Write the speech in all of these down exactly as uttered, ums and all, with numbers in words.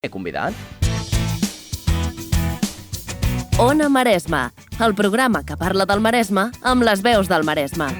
He convidat. Ona Maresme, el programa que parla del Maresme amb les veus del Maresme.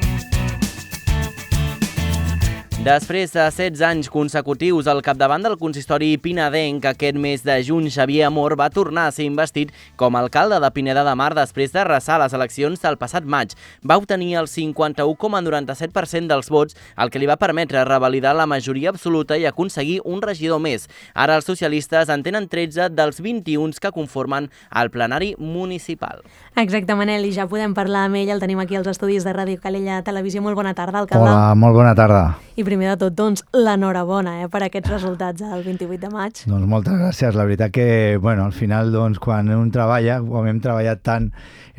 Després de setze anys consecutius al capdavant del consistori pinedenc, aquest mes de juny Xavier Amor va tornar a ser investit com a alcalde de Pineda de Mar després d'arrasar les eleccions del passat maig. Va obtenir el cinquanta-u coma noranta-set per cent dels vots, el que li va permetre revalidar la majoria absoluta i aconseguir un regidor més. Ara els socialistes en tenen tretze dels vint-i-un que conformen el plenari municipal. Exacte, Manel, i ja podem parlar amb ell, el tenim aquí als estudis de Ràdio Calella Televisió. Molt bona tarda, alcalde. Hola, molt bona tarda. I primer de tot, doncs, l'enhorabona eh, per aquests resultats el vint-i-vuit de maig. Doncs moltes gràcies. La veritat que, bueno, al final, doncs, quan un treballa, com hem treballat tant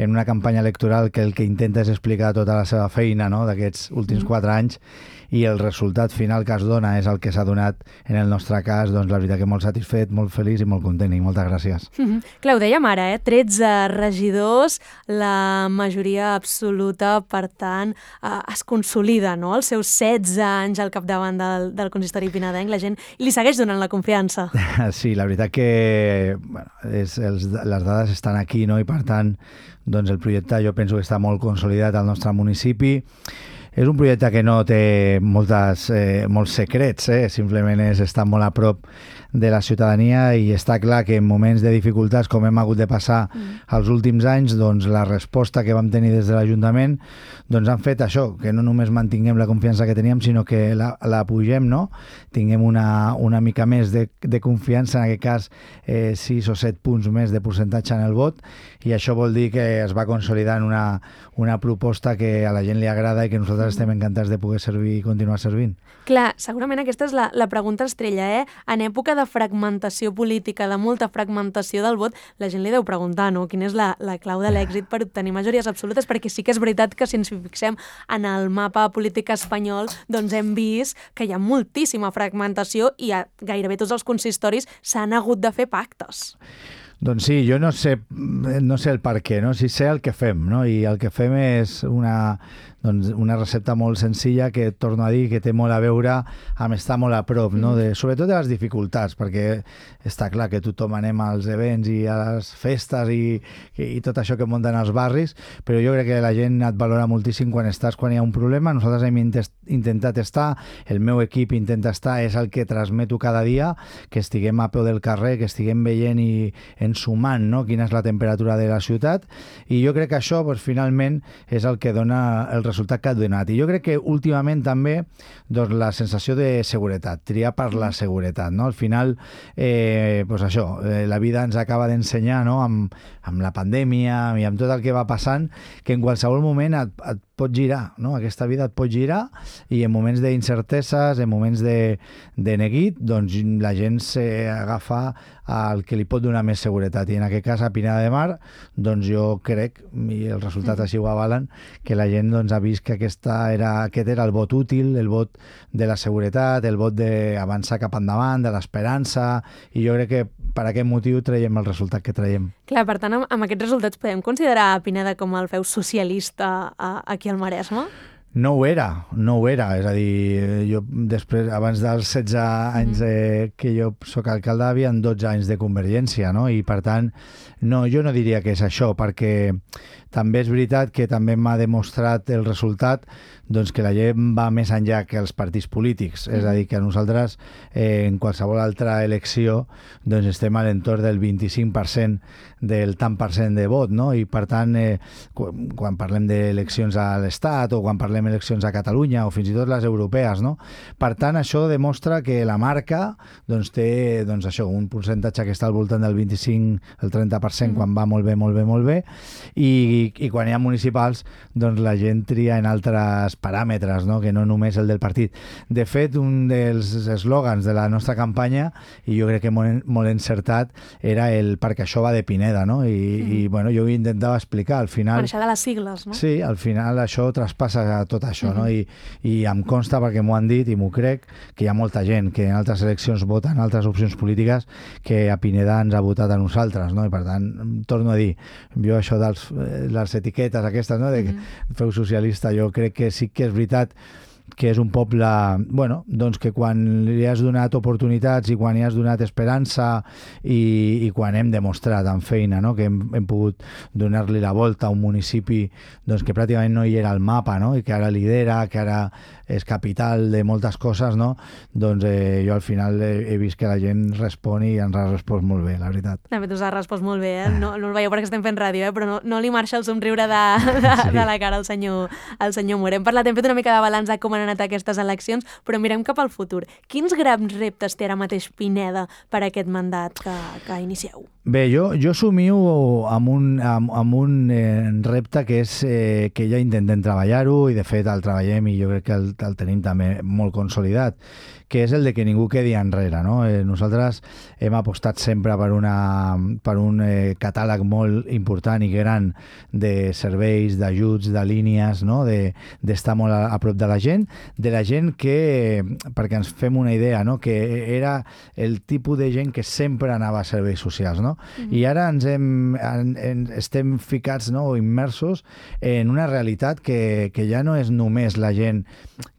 en una campanya electoral que el que intenta és explicar tota la seva feina, no?, d'aquests últims mm. quatre anys, i el resultat final que es dona és el que s'ha donat en el nostre cas, doncs la veritat que molt satisfet, molt feliç i molt content, i moltes gràcies. Mm-hmm. Clar, ho dèiem ara, eh? tretze regidors, la majoria absoluta, per tant, eh, es consolida, no?, els seus setze anys al capdavant del, del consistori pinedenc, la gent li segueix donant la confiança. Sí, la veritat que bueno, és, els, les dades estan aquí, no?, i per tant, doncs el projecte jo penso que està molt consolidat al nostre municipi. És un projecte que no té moltes, eh, molts secrets, eh? Simplement és estar molt a prop de la ciutadania, i està clar que en moments de dificultats com hem hagut de passar mm. els últims anys, doncs la resposta que vam tenir des de l'Ajuntament doncs han fet això, que no només mantinguem la confiança que teníem, sinó que la, la pugem, no? Tinguem una, una mica més de, de confiança, en aquest cas eh, sis o set punts més de percentatge en el vot, i això vol dir que es va consolidar en una, una proposta que a la gent li agrada i que nosaltres estem encantats de poder servir i continuar servint. Clar, segurament aquesta és la, la pregunta estrella, eh? En època de fragmentació política, de molta fragmentació del vot, la gent li deu preguntar, no?, quina és la, la clau de l'èxit per obtenir majories absolutes, perquè sí que és veritat que si ens fixem en el mapa polític espanyol, doncs hem vist que hi ha moltíssima fragmentació i a gairebé tots els consistoris s'han hagut de fer pactes. Doncs sí, jo no sé, no sé el per què, no? Sí sé el que fem, no? I el que fem és una, doncs una recepta molt senzilla que, torno a dir, que té molt a veure amb estar molt a prop, no? De, sobretot de les dificultats, perquè està clar que tothom anem als events i a les festes i, i tot això que munten als barris, però jo crec que la gent et valora moltíssim quan estàs, quan hi ha un problema. Nosaltres hem intentat estar, el meu equip intenta estar, és el que transmeto cada dia, que estiguem a peu del carrer, que estiguem veient i sumant, no?, quina és la temperatura de la ciutat, i jo crec que això, doncs, finalment, és el que dona el resultat que ha donat. I jo crec que últimament també, doncs, la sensació de seguretat, triar per la seguretat, no? Al final, eh, doncs això, eh, la vida ens acaba d'ensenyar, no?, amb, amb la pandèmia i amb tot el que va passant, que en qualsevol moment et, et pot girar, no? Aquesta vida et pot girar, i en moments d'incerteses, en moments de, de neguit, doncs la gent s'agafa al que li pot donar més seguretat, i en aquest cas a Pineda de Mar, doncs jo crec, i els resultats així ho avalen, que la gent doncs, ha vist que aquesta era, aquest era el vot útil, el vot de la seguretat, el vot d'avançar cap endavant, de l'esperança, i jo crec que per aquest motiu traiem el resultat que traiem. Clar, per tant, amb, amb aquests resultats podem considerar a Pineda com el feu socialista a, aquí al Maresme? No ho era, no ho era. És a dir, jo després, abans dels setze anys eh, que jo soc alcalde, havia dotze anys de Convergència, no? I per tant, no, jo no diria que és això, perquè també és veritat que també m'ha demostrat el resultat doncs que la gent va més enllà que els partits polítics. Mm. És a dir, que nosaltres eh, en qualsevol altra elecció doncs estem a l'entorn del vint-i-cinc per cent del tant per cent de vot, no? I per tant, eh, quan, quan parlem d'eleccions a l'Estat o quan parlem d'eleccions a Catalunya o fins i tot les europees, no? Per tant, això demostra que la marca doncs, té doncs, això, un percentatge que està al voltant del vint-i-cinc, el trenta per cent mm. quan va molt bé, molt bé, molt bé, i, i quan hi ha municipals doncs la gent tria en altres paràmetres, no? Que no només el del partit. De fet, un dels eslògans de la nostra campanya, i jo crec que molt, molt encertat, era el perquè això va de Pineda, no? I, mm. i bueno, jo ho intentava explicar. Al final... Per això de les sigles, no? Sí, al final això traspassa tot això, mm. no? I, i em consta, perquè m'ho han dit i m'ho crec, que hi ha molta gent que en altres eleccions voten altres opcions polítiques que a Pineda ens ha votat a nosaltres, no? I per tant, torno a dir, jo això de les etiquetes aquestes, no? De que mm. feu socialista, jo crec que sí que és veritat que és un poble, bueno, doncs que quan li has donat oportunitats i quan li has donat esperança i, i quan hem demostrat amb feina, no? Que hem, hem pogut donar-li la volta a un municipi doncs, que pràcticament no hi era al mapa, no? I que ara lidera, que ara és capital de moltes coses, no? Doncs eh, jo al final he, he vist que la gent respon i ens ha respost molt bé, la veritat. De fet, us ha respost molt bé, eh? No, no el veieu perquè estem fent ràdio, eh? Però no, no li marxa el somriure de, de, sí. de la cara al senyor, al senyor Mur. Hem parlat, hem fet una mica de balanç de com han anat aquestes eleccions, però mirem cap al futur. Quins grans reptes té ara mateix Pineda per aquest mandat que, que inicieu? Bé, jo, jo somio amb un, amb, amb un eh, repte que és eh, que ja intentem treballar-ho i de fet el treballem i jo crec que el, el tenim també molt consolidat, que és el de que ningú quedi enrere, no? Eh, nosaltres hem apostat sempre per, una, per un eh, catàleg molt important i gran de serveis, d'ajuts, de línies, no? De, d'estar molt a, a prop de la gent, de la gent que, perquè ens fem una idea, no? Que era el tipus de gent que sempre anava a serveis socials, no? Mm-hmm. I ara ens hem, en, en, estem ficats, no? O immersos en una realitat que, que ja no és només la gent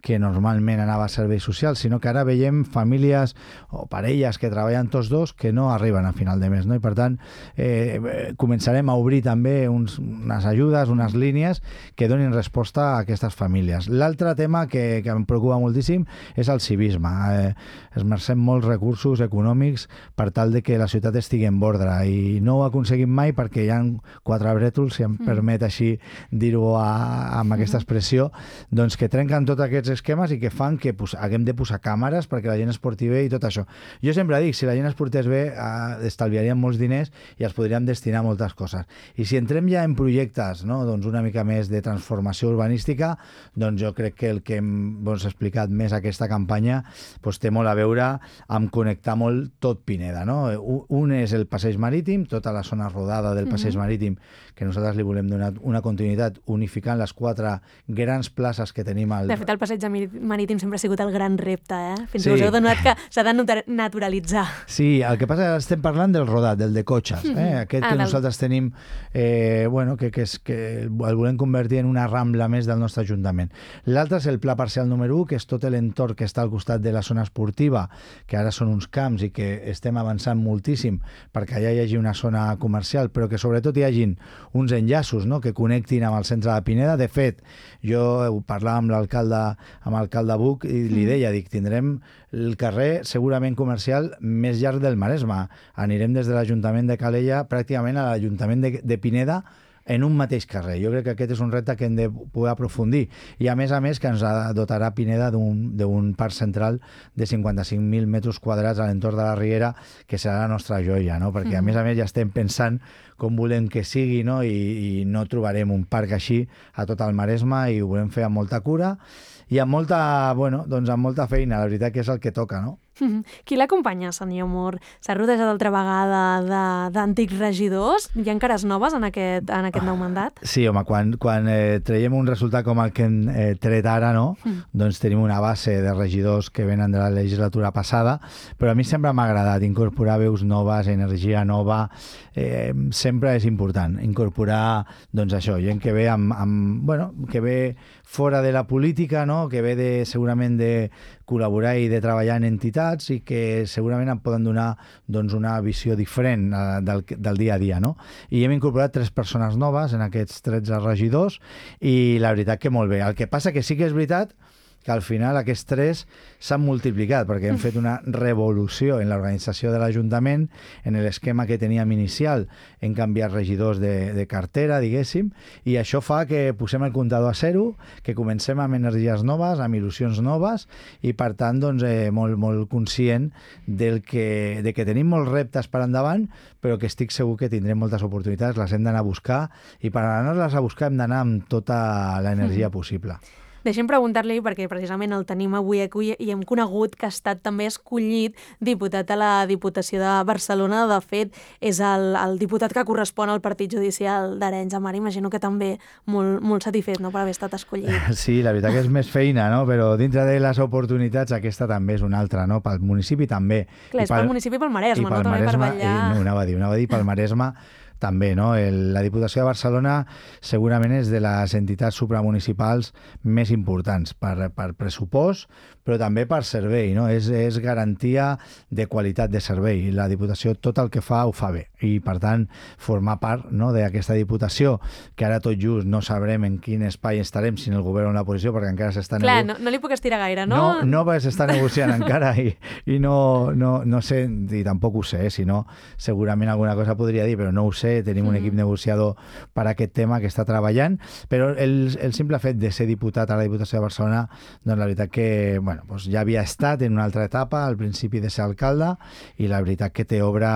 que normalment anava a serveis socials, sinó que ara veiem famílies o parelles que treballen tots dos que no arriben a final de mes, no? I per tant eh, començarem a obrir també uns, unes ajudes, unes línies que donin resposta a aquestes famílies. L'altre tema que, que em preocupa moltíssim és el civisme. Eh, esmercem molts recursos econòmics per tal de que la ciutat estigui en ordre i no ho aconseguim mai perquè hi ha quatre brètols, si em mm. permet així dir-ho amb aquesta expressió, doncs que trenquen tots aquests esquemes i que fan que pues, haguem de posar càmeres perquè la gent es porti bé i tot això. Jo sempre dic, si la gent es portés bé, eh, estalviaríem molts diners i els podríem destinar a moltes coses. I si entrem ja en projectes, no? Doncs una mica més de transformació urbanística, doncs jo crec que el que hem doncs, explicat més aquesta campanya doncs, té molt a veure amb connectar molt tot Pineda, no? Un és el passeig marítim, tota la zona rodada del passeig mm-hmm. marítim, que nosaltres li volem donar una continuïtat unificant les quatre grans places que tenim al... De fet, el passeig marítim sempre ha sigut el gran repte, eh? Fins sí. que us heu donat que s'ha de naturalitzar. Sí, el que passa és que estem parlant del rodat, del de cotxes, eh? Aquest ah, que del... nosaltres tenim, eh, bueno, que, que, és, que el volem convertir en una rambla més del nostre Ajuntament. L'altre és el pla parcial número u, que és tot l'entorn que està al costat de la zona esportiva, que ara són uns camps i que estem avançant moltíssim perquè allà hi hagi una zona comercial, però que sobretot hi hagin uns enllaços, no?, que connectin amb el centre de Pineda. De fet, jo parlava amb l'alcalde amb l'alcalde Buch i li deia, dic, tindrem el carrer segurament comercial més llarg del Maresme. Anirem des de l'Ajuntament de Calella pràcticament a l'Ajuntament de, de Pineda en un mateix carrer. Jo crec que aquest és un repte que hem de poder aprofundir. I a més a més que ens dotarà Pineda d'un parc central de cinquanta-cinc mil metres quadrats a l'entorn de la Riera, que serà la nostra joia, no? Perquè a més a més ja estem pensant com volem que sigui, no? I, i no trobarem un parc així a tot el Maresme i ho volem fer amb molta cura i amb molta, bueno, doncs amb molta feina, la veritat que és el que toca, no? Qui l'acompanya, senyor Mur? S'ha rodejat altra vegada d'antics regidors? Hi ha cares noves en aquest, en aquest nou mandat? Sí, home, quan, quan eh, traiem un resultat com el que hem eh, tret ara, no? Mm. Doncs tenim una base de regidors que venen de la legislatura passada, però a mi sempre m'ha agradat incorporar veus noves, energia nova, eh, sempre és important incorporar, doncs això, gent que ve amb, amb bueno, que ve fora de la política, no? Que ve de, segurament de col·laborar i de treballar en entitats i que segurament em poden donar doncs, una visió diferent eh, del, del dia a dia, no? I hem incorporat tres persones noves en aquests tretze regidors i la veritat que molt bé. El que passa que sí que és veritat que al final aquests tres s'han multiplicat perquè hem fet una revolució en l'organització de l'Ajuntament, en l'esquema que teníem inicial, hem canviat regidors de, de cartera, diguéssim, i això fa que posem el comptador a zero, que comencem amb energies noves, amb il·lusions noves, i per tant, doncs, eh, molt, molt conscient del que, de que tenim molts reptes per endavant, però que estic segur que tindrem moltes oportunitats, les hem d'anar a buscar, i per anar-les a buscar hem d'anar amb tota l'energia possible. Deixem preguntar-li, perquè precisament el tenim avui aquí i hem conegut que ha estat també escollit diputat a la Diputació de Barcelona. De fet, és el, el diputat que correspon al Partit Judicial d'Arenys de Mar. Imagino que també molt, molt satisfet, no?, per haver estat escollit. Sí, la veritat que és més feina, no? Però dintre de les oportunitats aquesta també és una altra, no? Pel municipi també. Clar, és pel municipi i pel Maresme, no? També per vetllar... I, no, anava a dir, anava a dir pel Maresme també, no? El, la Diputació de Barcelona segurament és de les entitats supramunicipals més importants per, per pressupost, però també per servei, no? És, és garantia de qualitat de servei. La Diputació tot el que fa ho fa bé i, per tant, formar part, no, d'aquesta Diputació, que ara tot just no sabrem en quin espai estarem, si en el govern o en la posició, perquè encara s'està Clar, nego... no, no li puc estirar gaire, no? No, no perquè s'està negociant encara i, i no, no, no sé, i tampoc ho sé, si no, segurament alguna cosa podria dir, però no ho sé, tenim un equip negociador per a aquest tema que està treballant, però el, el simple fet de ser diputat a la Diputació de Barcelona, doncs la veritat que, bueno, doncs ja havia estat en una altra etapa, al principi de ser alcalde, i la veritat que té obre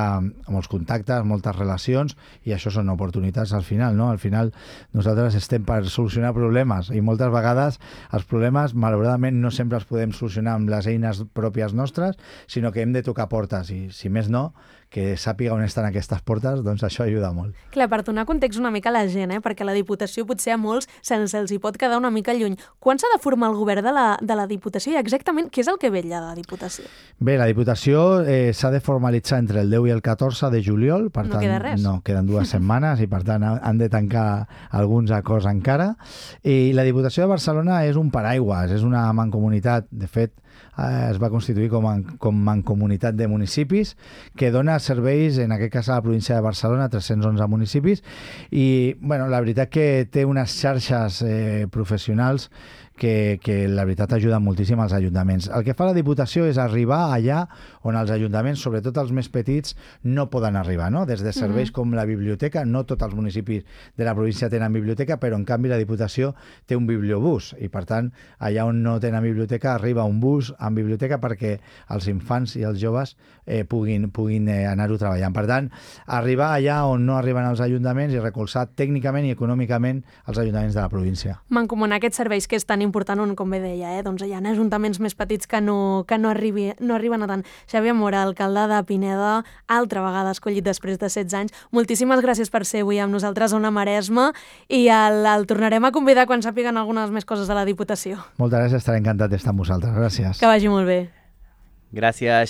molts contactes, moltes relacions, i això són oportunitats al final, no? Al final nosaltres estem per solucionar problemes, i moltes vegades els problemes, malauradament, no sempre els podem solucionar amb les eines pròpies nostres, sinó que hem de tocar portes, i si més no, que sàpiga on estan aquestes portes, doncs això ajuda molt. Clar, per donar context una mica a la gent, eh? Perquè la Diputació potser a molts se'ls els hi pot quedar una mica lluny. Quan s'ha de formar el govern de la, de la Diputació i exactament què és el que vetlla de la Diputació? Bé, la Diputació eh, s'ha de formalitzar entre el deu i el catorze de juliol, per no tant, queda res. No, queden dues setmanes i per tant han de tancar alguns acords encara. I la Diputació de Barcelona és un paraigües, és una mancomunitat, de fet, eh, es va constituir com a com mancomunitat de municipis que dona serveis, en aquest cas a la província de Barcelona, tres-cents onze municipis, i bueno, la veritat que té unes xarxes eh, professionals que, que la veritat ajuda moltíssim als ajuntaments. El que fa la Diputació és arribar allà on els ajuntaments, sobretot els més petits, no poden arribar, no? Des de serveis mm-hmm. com la biblioteca, no tots els municipis de la província tenen biblioteca, però en canvi la Diputació té un bibliobús i per tant allà on no tenen biblioteca arriba un bus amb biblioteca perquè els infants i els joves eh, puguin, puguin eh, anar-ho treballant. Per tant, arribar allà on no arriben els ajuntaments i recolzar tècnicament i econòmicament els ajuntaments de la província. Mancomunar aquests serveis que és tan important, on, com bé deia, eh? Doncs hi ha ajuntaments més petits que no, que no, arribi, no arriben a tant. Xavier Mora, alcalde de Pineda, altra vegada escollit després de setze anys. Moltíssimes gràcies per ser avui amb nosaltres a Ona Maresma i el, el tornarem a convidar quan sàpiguen algunes més coses de la Diputació. Moltes gràcies, estaré encantat d'estar amb vosaltres. Gràcies. Que vagi molt bé. Gràcies, Xavier.